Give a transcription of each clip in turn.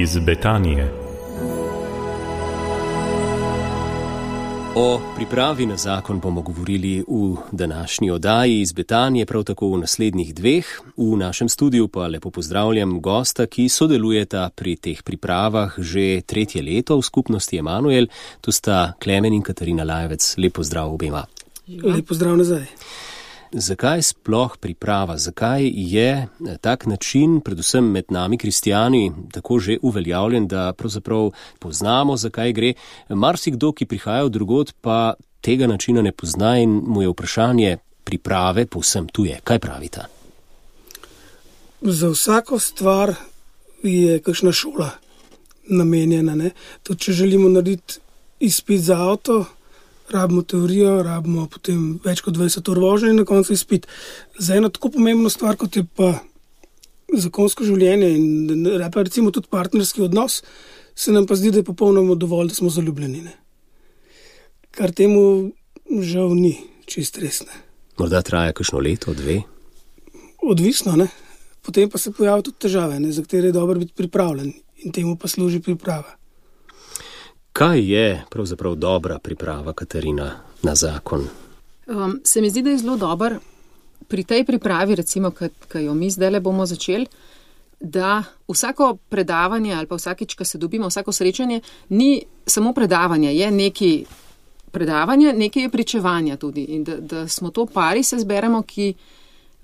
Iz Betanije. O pripravi na zakon bomo govorili v današnji oddaji iz Betanije, prav tako v naslednjih dveh. V našem studiu pa lepo pozdravljam gosta, ki sodelujeta pri teh pripravah že 3. leto v skupnosti Emanuel. Tu sta Klemen in Katarina Lajevec. Lep pozdrav obema. Lep pozdrav nazaj. Zakaj sploh priprava? Zakaj je tak način, predvsem med nami kristijani, tako že uveljavljen, da pravzaprav poznamo, zakaj gre? Marsikdo, ki prihaja od drugod, pa tega načina ne pozna in mu je vprašanje priprave povsem tuje. Kaj pravita? Za vsako stvar je kakšna šola namenjena. Ne? Tudi če želimo narediti izpit za avto, rabimo teorijo, rabimo potem več kot 20 ur vožnje in na koncu izpit. Za eno tako pomembno stvar, kot je pa zakonsko življenje in pa recimo tudi partnerski odnos, se nam pa zdi, da je popolnoma dovolj, da smo zaljubljeni. Ne? Kar temu žal ni čist resne. Morda traja kakšno leto, 2? Odvisno, ne? Potem pa se pojavijo tudi težave, ne? Za katere je dobro biti pripravljen in temu pa služi priprava. Kaj je pravzaprav dobra priprava, Katarina, na zakon? Se mi zdi, da je zelo dober pri tej pripravi, recimo, ki jo mi zdajle bomo začeli, da vsako predavanje ali pa vsakič, ko se dobimo, vsako srečanje, ni samo predavanje, je nekaj predavanja, nekaj je pričevanja tudi. In da smo to pari, se zberemo, ki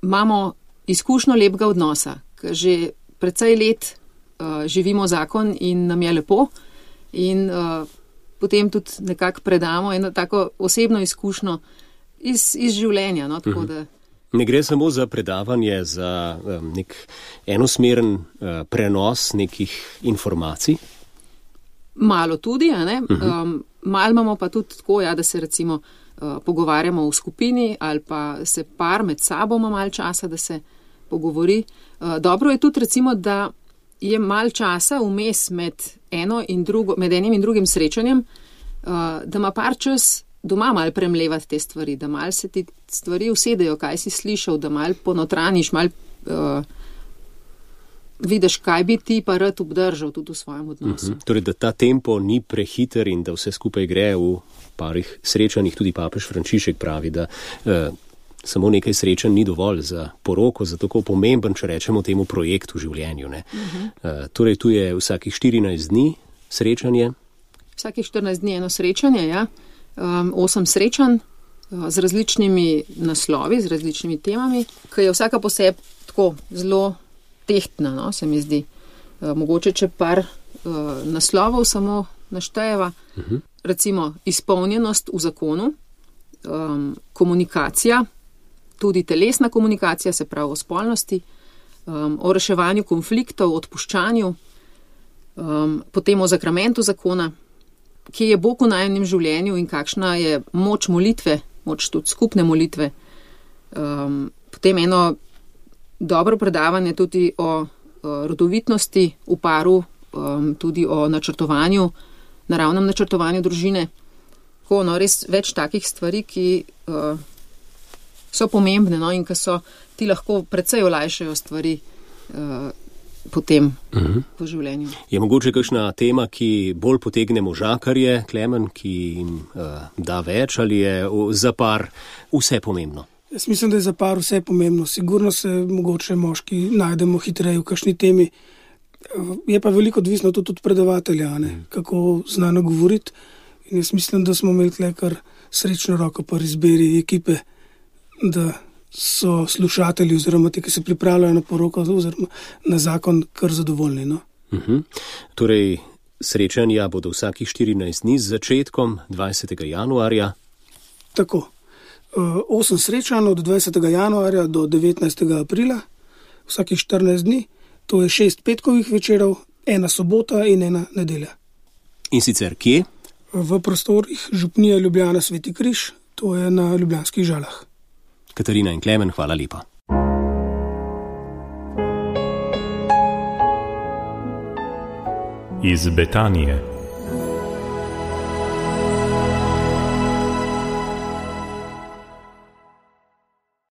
imamo izkušnjo lepega odnosa, ker že precej let živimo zakon in nam je lepo. In potem tudi nekako predamo eno tako osebno izkušnjo iz življenja. No? Tako da... Ne gre samo za predavanje, za nek enosmeren prenos nekih informacij? Malo tudi, a ne? Malo imamo pa tudi tako, da se recimo pogovarjamo v skupini ali pa se par med sabo ima malo časa, da se pogovori. Dobro je tudi recimo, da je malo časa vmes med enim in drugim srečanjem, da ima par čas doma malo premlevati te stvari, da malo se ti stvari usedejo, kaj si slišal, da malo ponotraniš, malo vidiš, kaj bi ti pa rad obdržal tudi v svojem odnosu. Torej, da ta tempo ni prehiter in da vse skupaj gre v parih srečanjih. Tudi papež Frančišek pravi, da samo nekaj srečanj ni dovolj za poroko, za tako pomemben, če rečemo temu, projekt v življenju. Ne? Torej, tu je vsakih 14 dni srečanje. Vsakih 14 dni eno srečanje, ja. 8 srečanj z različnimi naslovi, z različnimi temami, ki je vsaka posebej tako zelo tehtna, no, se mi zdi. Mogoče, če par naslovov samo naštejeva, recimo izpolnjenost v zakonu, komunikacija, tudi telesna komunikacija, se pravi o spolnosti, o reševanju konfliktov, odpuščanju, potem o zakramentu zakona, kje je Bog v najinem življenju in kakšna je moč molitve, moč tudi skupne molitve. Potem eno dobro predavanje tudi o rodovitnosti v paru, tudi o načrtovanju, naravnem načrtovanju družine. Tako, no, res več takih stvari, ki so pomembne, no, in ki so ti lahko precej olajšajo stvari potem po življenju. Je mogoče kakšna tema, ki bolj potegne možakarje, Klemen, ki jim da več, ali je za par vse pomembno? Jaz mislim, da je za par vse pomembno. Sigurno se mogoče moški najdemo hitreje v kakšni temi. Je pa veliko odvisno tudi od predavatelja, ne? Kako zna nagovoriti. In jaz mislim, da smo imeli tle kar srečno roko pri izbiri ekipe, da so slušatelji oziroma ti, ki se pripravljajo na poroko oziroma na zakon, kar zadovoljni. No? Torej, srečanja bodo vsakih 14 dni z začetkom 20. januarja. Tako. 8 srečanj od 20. januarja do 19. aprila, vsakih 14 dni. To je 6 petkovih večerov, 1 sobota in 1 nedelja. In sicer kje? V prostorih Župnije Ljubljana Sveti Križ, to je na Ljubljanskih Žalah. Katarina in Klemen, hvala lepa. Iz Betanije.